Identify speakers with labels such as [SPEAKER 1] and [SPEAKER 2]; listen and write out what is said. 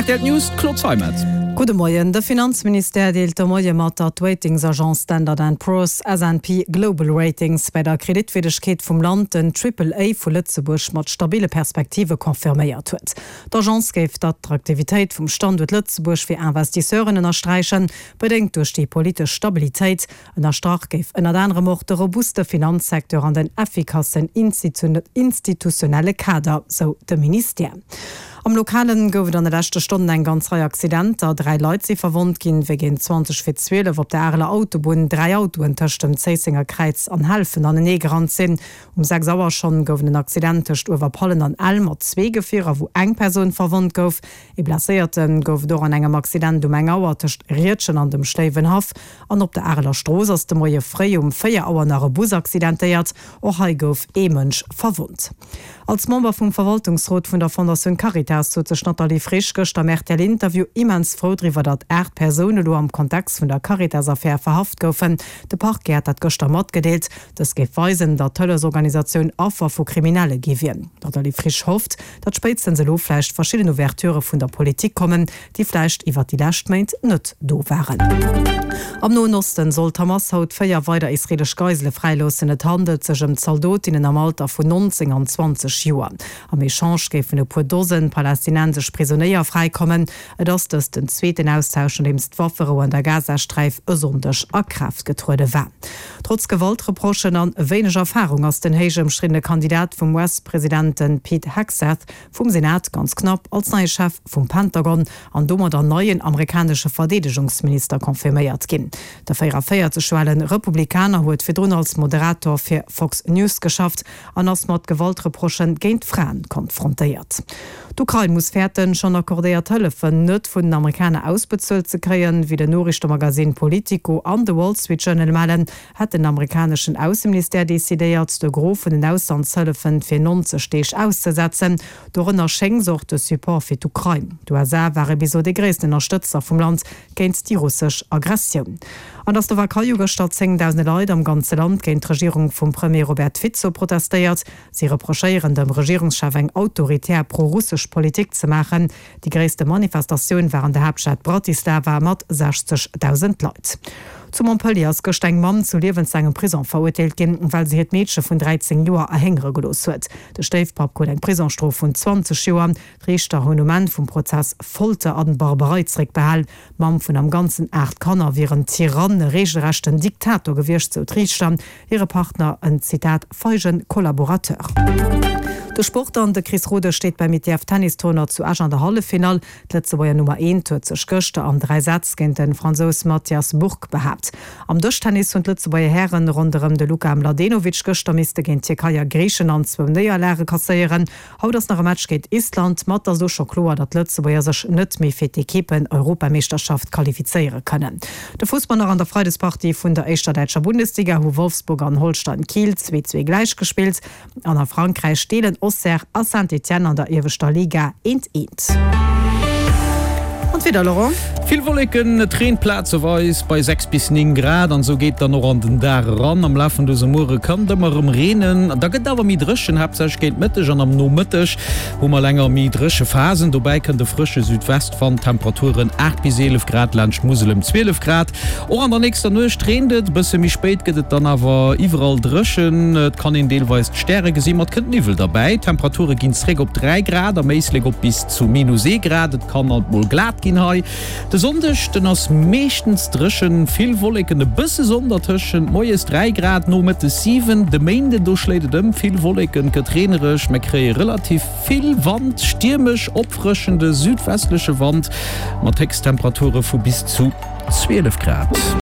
[SPEAKER 1] Rtl News, d'Claude Zeimetz.
[SPEAKER 2] Gudde Moien. De Finanzministère deelt de Moie mat, datt d'Ratingsagence Standard and Poor's, S&P Global Ratings, bei der Kreditwierdegkeet vum Land den Triple A vu Lëtzebuerg mat stabile Perspektive confirméiert huet. D'Agence géif d'Attraktivitéit vum Standuert Lëtzebuerg fir Investisseuren ënnersträichen, bedéngt duerch déi politesch Stabilitéit. Ënnerstrach géif ënnert anerem och de robuste Finanzsecteur an den effikassen institutionelle Kader, sou de Ministère. Am Lokalen gouf et an de leschte Stonnen eng ganz Rei Accidenter. 3 Leit si verwonnt ginn, wéi géint 20 vir 12 op der Areler Autobunn 3 Autoen tëscht dem Zéissenger Kräiz an Helfen anenee gerannt sinn. Um 6 Auer schonn gouf et en Accident tëscht Uewerpallen an Ell mat zwee Gefierer, wou eng Persoun verwonnt gouf. Ee Blesséierte gouf et och an engem Accident um eng Auer tëscht Riedgen an dem Schléiwenhaff. An op der Areler Strooss ass de Moie fréi um 4 Auer nach e Bus accidentéiert. Och hei gouf ee Mënsch verwonnt. Als Member vum Verwaltungsrot vun der Fondatioun Caritas sot sech d'Nathalie Frisch gëschter am RTL-Interview immens frou driwwer, datt 8 Persoune lo am Kontext vun der Caritas-Affär verhaft goufen. De Parquet hat dat gëschter matgedeelt. Dëst géif weisen, datt d'Hëllefsorganisatioun Affer vu Kriminelle gi wier. D'Nathalie Frisch hofft, datt spéitstens elo vläicht verschidden Ouverturë vun der Politik kommen, déi vläicht iwwert déi lescht Méint net do waren. Am Noen Osten soll d'Hamas haut 4 weider israeelesch Geisele fräiloossen. Et handelt sech ëm Zaldotinnen am Alter vun 19 an 20 Joer. Am Echange géifen e puer Dosen palästinensesch Prisonéier fräikommen. Et ass dëst den zweeten Austausch, nodeems d'Wafferou an der Gazasträif e Sonndeg a Kraaft getruede war. Trotz Gewaltreprochen an wéineg Erfarung ass den héich ëmstriddene Kandidat vum US-President, de Pete Hegseth, vum Senat ganz knapp als neie Chef vum Pentagon an domadder neien amerikanesche Verdeedegungsminister confirméiert ginn. De 44 Joer ale Republikaner huet virdrun als Moderator fir Fox News geschafft an ass mat Gewaltreprochë géint Fraen konfrontéiert. D'Ukrain muss fäerten, schonn accordéiert Hëllefen net vun den Amerikaner ausbezuelt ze kréien. Wéi den Noriichtemagazin Politico an de Wall Street Journal mellen, hätt den amerikaneschen Ausseministère decidéiert, de Gros vun den Auslandshëllefen fir 90 Deeg auszesetzen. Dorënner schéngs och de Support fir d'Ukrain. D'USA ware bis elo dee gréissten Ënnerstëtzer vum Land géint déi russesch Aggressioun. An der Slowakei hu gëschter zéngdausende Leit am ganze Land géint d'Regierung vum Premier Robert Fico protestéiert. Si reprochéieren dem Regierungschef eng autoritär pro-russesch Politik ze maachen. Déi gréisste Manifestatioun war an der Haaptstad Bratislava mat 60.000 Leit. Zu Montpellier ass gëscht eng Mamm zu liewenslaangem Prisong verurteelt ginn, well se hiert Meedche vun 13 Joer erhéngere gelooss huet. De Stéifpapp krut eng Prisongsstrof vun 20 Joer. D'Riichter hunn um Enn vum Prozess Folter an Barbarei zeréckbehal. D'Mamm vun am Ganzen 8 Kanner wier en Tyrann, e reegelrechten Diktator gewiescht, sou d'Riichter. Hire Partner en, Zitat, feigen Kollaborateur. De Sport an de Chris Rodesch steet beim ITF Tennis Tournoi zu Esch an der Halleffinall. D'Lëtzebuerger Nummer eent huet sech gëschter an 3 Sätz géint de Fransous Mathias Bourgue behaapt. Am Dëschtennis hunn d'Lëtzebuerger Hären ronderëm de Luka Mladenovic gëschter misste géint d'Tierkei a Griichenland zwou Néierlage kasséieren. Haut ass nach e Match géint Island, ma et ass elo scho kloer, datt d'Lëtzebuerger sech net méi fir d'Ekippen-Europameeschterschaft qualifizéiere kënnen. De Fussball nach An der Freidespartie vun der éischter däitscher Bundesliga hu Wolfsburg an Holstein Kiel 2, 2 gläich gespillt an a Frankräich deelen Auxerre a Saint-Étienne an der ieweschter Liga eent, eent. An d'Wieder, Laurent?
[SPEAKER 1] Vill Wolleken, et reent plazeweis bei 6 bis 9 Grad an esou geet dann och an den Dag eran. Am Laf vun dësem Muere kann et ëmmer erëm reenen, da gëtt et awer méi dréchen, haaptsächlech géint Mëtteg an am Nomëtteg hu mer länger méi dréche Phasen. Dobäi kënnt e frësche Südwestwand, Temperaturen 8 bis 11 Grad, laanscht d'Musel ëm 12 Grad. Och an der nächster Nuecht reent et, e bësse méi spéit gëtt et dann awer iwwerall dréchen, et kann een deelweis d'Stäre gesinn, ma et kënnt Niwwel derbäi. D'Temperature ginn zréck op 3 Grad, am Éislek op bis zu minus ee Grad. Et kann alt mol glat ginn hei. De Sonndeg, den ass meeschtens dréchen, vill Wolleken, e bësse Sonn dertëschent, moies 3 Grad, nomëttes 7. De Méinden, do schléit et ëm, vill Wolleken, et gëtt reenereg, mer kréie relativ vill Wand, stiermesch, opfrëschende südwestleche Wand mat Héchsttemperature vu bis zu 12 Grad.